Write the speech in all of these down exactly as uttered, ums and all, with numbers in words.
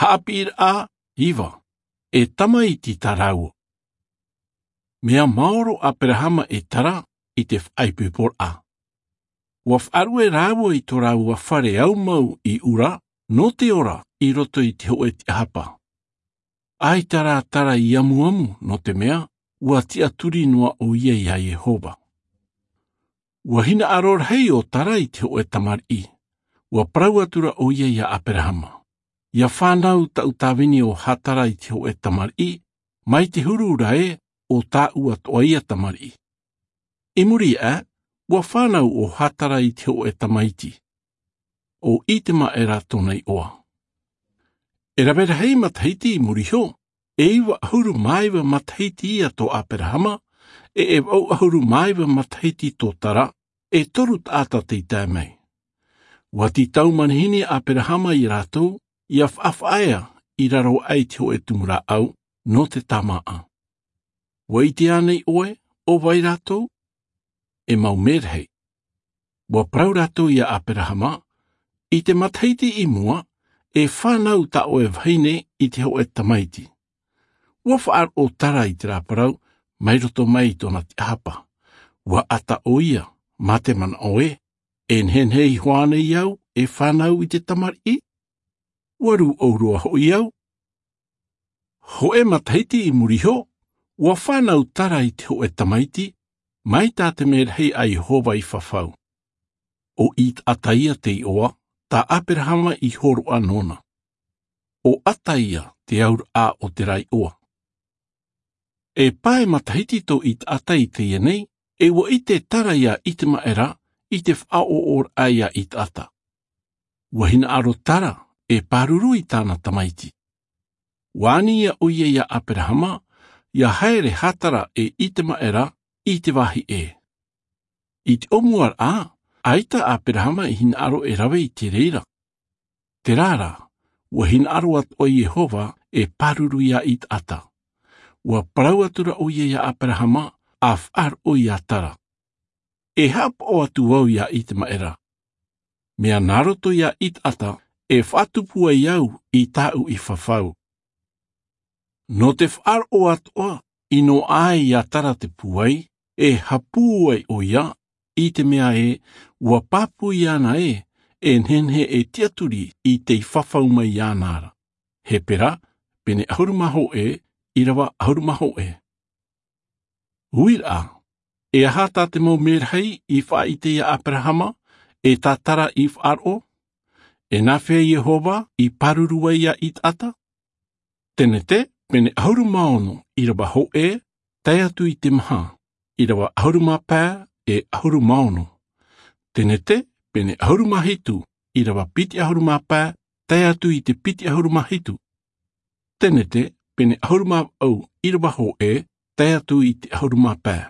Haʻapiʻiraʻa iva. E tamaiti tā rāua. Mea maoro ʻo aperahama e tara i te faʻaipoiporaʻa. Ua faʻaruʻe rāua i tō rāua fare aumau i ura nō te ora i roto i te hoʻe tiʻahapa. ʻAita rā tara i amuamu nō te mea ua tiʻaturi noa ʻo ia iā iehova. Ua hinaʻaro rahi ʻo tara i te hoʻe tamariʻi. Ua parau atu ra ʻo ia iā aperahama, ia fānau taʻu tāvini ʻo hātara i te hoʻe tamariʻi, mai te huru ra ē ʻo tāʻu atoʻa ia tamariʻi. I muri iho ā, ua fānau ʻo hātara i te hoʻe tamaiti, ʻo itemaʻera tōna iʻoa. E rave rahi matahiti i muri iho, e iva ʻahuru mā iva matahiti ia tō aperahama, e e vaʻu ʻahuru mā iva matahiti tō tara, e toru taʻata tei tae mai. Ua tītau manihini aperahama iā rātou ia faʻafaʻaea i raro aʻe i te hoʻe tumu rāʻau nō te tāmāʻa. Ua ʻite ānei ʻoe ʻo vai rātou? E mau merahi. Ua parau rātou iā aperahama, i te matahiti i mua, e fānau tā ʻoe vahine i te hoʻe tamaiti. Ua faʻaroʻo tara i te rāparau mai roto mai i tōna tiʻahapa. Ua ʻata ʻo ia, mā te manaʻo ē, e nehenehe iho ānei au e fānau i te tamariʻi? Ua rūʻau roa hoʻi au. Hoʻe matahiti i muri iho, ua fānau tara i te hoʻe tamaiti, mai tā te merahi a iehova i fafau. ʻO itaʻata ia te iʻoa tā aperahama i hōroʻa nōna. ʻO ʻata ia te auraʻa o te rā iʻoa. E pae matahiti tō itaʻata i teie nei, e ua ʻite tara iā itemaʻera i te faʻaʻoʻoraʻa iā itaʻata. Ua hinaʻaro tara e pāruru i tāna tamaiti. Ua ani ia ʻo ia iā aperahama ia haere hātara e itemaʻera i te vāhi ʻē. I te ʻōmuaraʻa, ʻaita aperahama i hinaʻaro e rave i te reira. Terā rā, ua hinaʻaro atu ʻo iehova e pāruru iā itaʻata. Ua parau atu ra ʻo ia iā aperahama, a faʻaroʻo iā tara, e haʻapaʻo atu au iā itemaʻera, mea nā roto iā itaʻata e faʻatupu ai au i tāʻu i fafau. Nō te faʻaroʻo atoʻa i noaʻa ai iā tara te pūai, e hapū ai ʻo ia, i te mea ē ua pāpū iāna ē e nehenehe e tiʻaturi i tei fafau mai iāna ra. Hepera pene ʻahuru mā hōʻē, ʻīrava ʻahuru mā hōʻē. Uiraʻa, e aha tā te mau merahi i faʻaʻite iā aperahama, e tā tara i faʻaroʻo? E nāfea iehova i pāruru ai iā itaʻata? Tenete pene ʻahuru mā ono, ʻīrava hōʻē tae atu i te maha, ʻīrava ʻahuru mā pae e ʻahuru mā ono. Tenete pene ʻahuru mā hitu, ʻīrava piti ʻahuru mā pae tae atu i te piti ʻahuru mā hitu. Tenete pene ʻahuru mā vaʻu, ʻīrava hōʻē tae atu i te ʻahuru mā pae.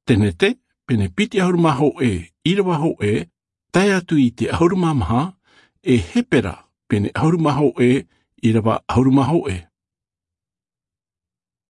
Tenete pene piti ʻahuru mā hōʻē, ʻīrava hōʻē tae atu i te ʻahuru mā maha. E hepera pene ʻahuru mā hōʻē, ʻīrava ʻahuru mā hōʻē.